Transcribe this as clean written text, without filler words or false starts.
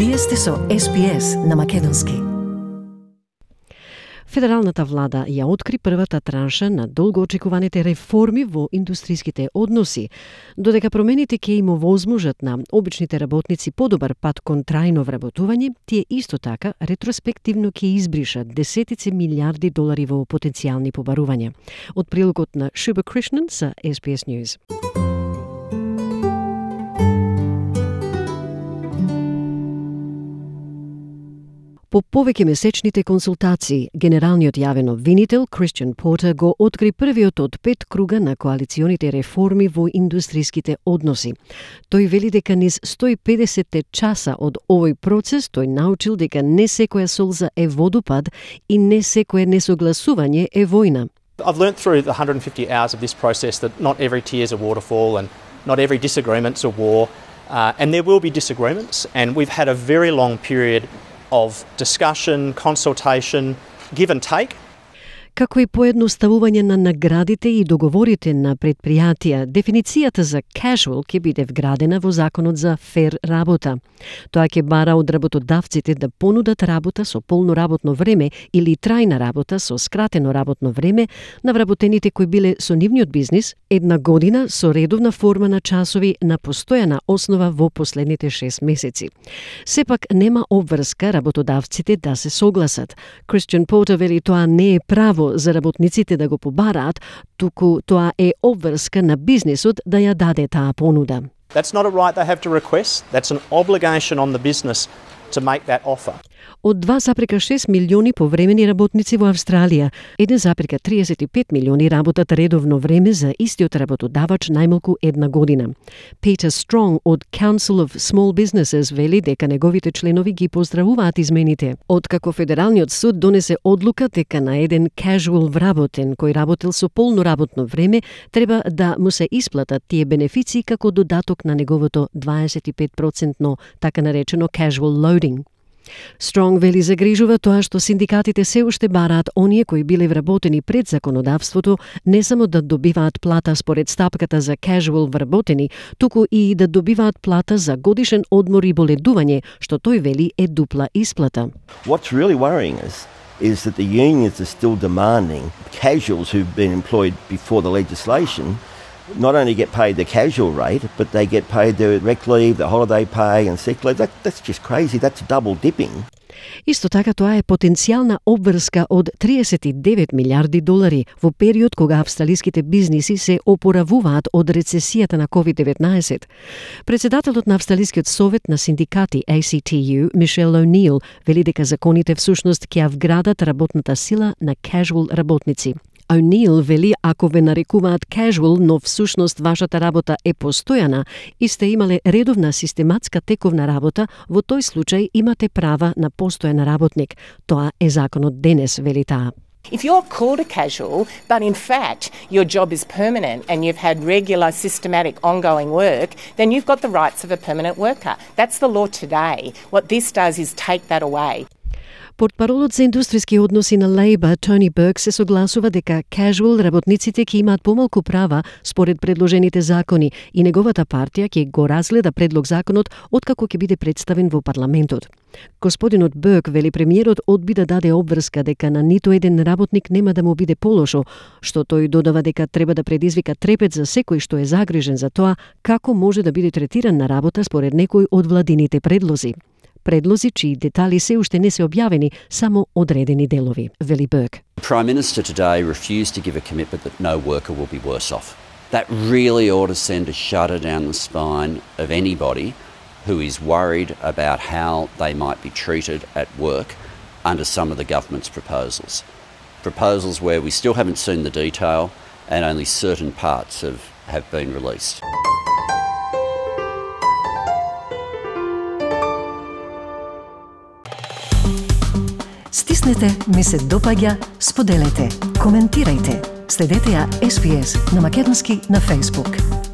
Вие сте со SPS на македонски. Федералната влада ја откри првата транша на долгоочекуваните реформи во индустријските односи, додека промените ќе им овозможат на обичните работници подобар пат кон трајно вработување, тие исто така ретроспективно ќе избришат десетици милиарди долари во потенцијални побарувања. Од прилогот на Шуба Кришнан за SBS News. По повеќе месечните консултации, генералниот јавен обвинител Кристијан Портер го откри првиот од 5 круга на коалиционите реформи во индустријските односи. Тој вели дека низ 150 часа од овој процес тој научил дека не секоја солза е водопад и не секое несогласување е војна. I've learnt through the 150 hours of this process that not every tear is a waterfall and not every disagreement's a war, and there will be disagreements, and we've had a very long period of discussion, consultation, give and take. Како и поедноставување на наградите и договорите на предпријатија, дефиницијата за casual ќе биде вградена во законот за фер работа. Тоа ќе бара од работодавците да понудат работа со полно работно време или трајна работа со скратено работно време на вработените кои биле со нивниот бизнис 1 година со редовна форма на часови на постојана основа во последните 6 месеци. Сепак нема обврска работодавците да се согласат. Кристијан Портер вели тоа не е право за работниците да го побараат, туку тоа е обврска на бизнисот да ја даде таа понуда. That's not a right they have to request. That's an obligation on the business to make that offer. Од 2,6 милиони повремени работници во Австралија, 1,35 милиони работат редовно време за истиот работодавач најмалку 1 година. Peter Strong од Council of Small Businesses вели дека неговите членови ги поздравуваат измените. Откако Федералниот суд донесе одлука дека на еден casual вработен кој работел со полно работно време треба да му се исплатат тие бенефиции како додаток на неговото 25% така наречено casual loading. Strong вели загрижува тоа што синдикатите се уште бараат оние кои биле вработени пред законодавството не само да добиваат плата според стапката за casual вработени, туку и да добиваат плата за годишен одмор и боледување, што тој вели е дупла исплата. What's really worrying us is that the unions are still demanding casuals who've been employed before the legislation not only get paid the casual rate, but they get paid their rec leave, the holiday pay and sick leave. That's just crazy. That's double dipping. Исто така тоа е потенцијална обврска од 39 милиарди долари во период кога австралиските бизниси се опоравуваат од рецесијата на COVID-19. Председателот на Австралискиот совет на синдикати ACTU, Мишел О'Нил, вели дека законите всушност ќе вградат работната сила на casual работници. О'Нил вели ако ве нарекуваат casual, но всушност вашата работа е постојана и сте имале редовна систематска тековна работа, во тој случај имате права на постојан работник. Тоа е законот денес, вели таа. If you're called a casual, but in fact your job is permanent and you've had regular, systematic, ongoing work, then you've got the rights of a permanent worker. That's the law today. What this does is take that away. Портпаролот за индустријски односи на Лейбор, Тони Берг, се согласува дека casual работниците ќе имаат помалку права според предложените закони и неговата партија ќе го разгледа предлог законот откако ќе биде представен во парламентот. Господинот Берг вели премиерот одби да даде обврска дека на ниту еден работник нема да му биде полошо, што тој додава дека треба да предизвика трепет за секој што е загрижен за тоа како може да биде третиран на работа според некој од владините предлози. Предлози чии детали се уште не се објавени, само одредени делови, вели Берг. The Prime Minister today refused to give a commitment that no worker will be worse off. That really ought to send a shudder down the spine of anybody who is worried about how they might be treated at work under some of the government's proposals. Proposals where we still haven't seen the detail and only certain parts have been released. Стиснете, ми се допаѓа, споделете, коментирајте. Следете ја SPS на македонски на Facebook.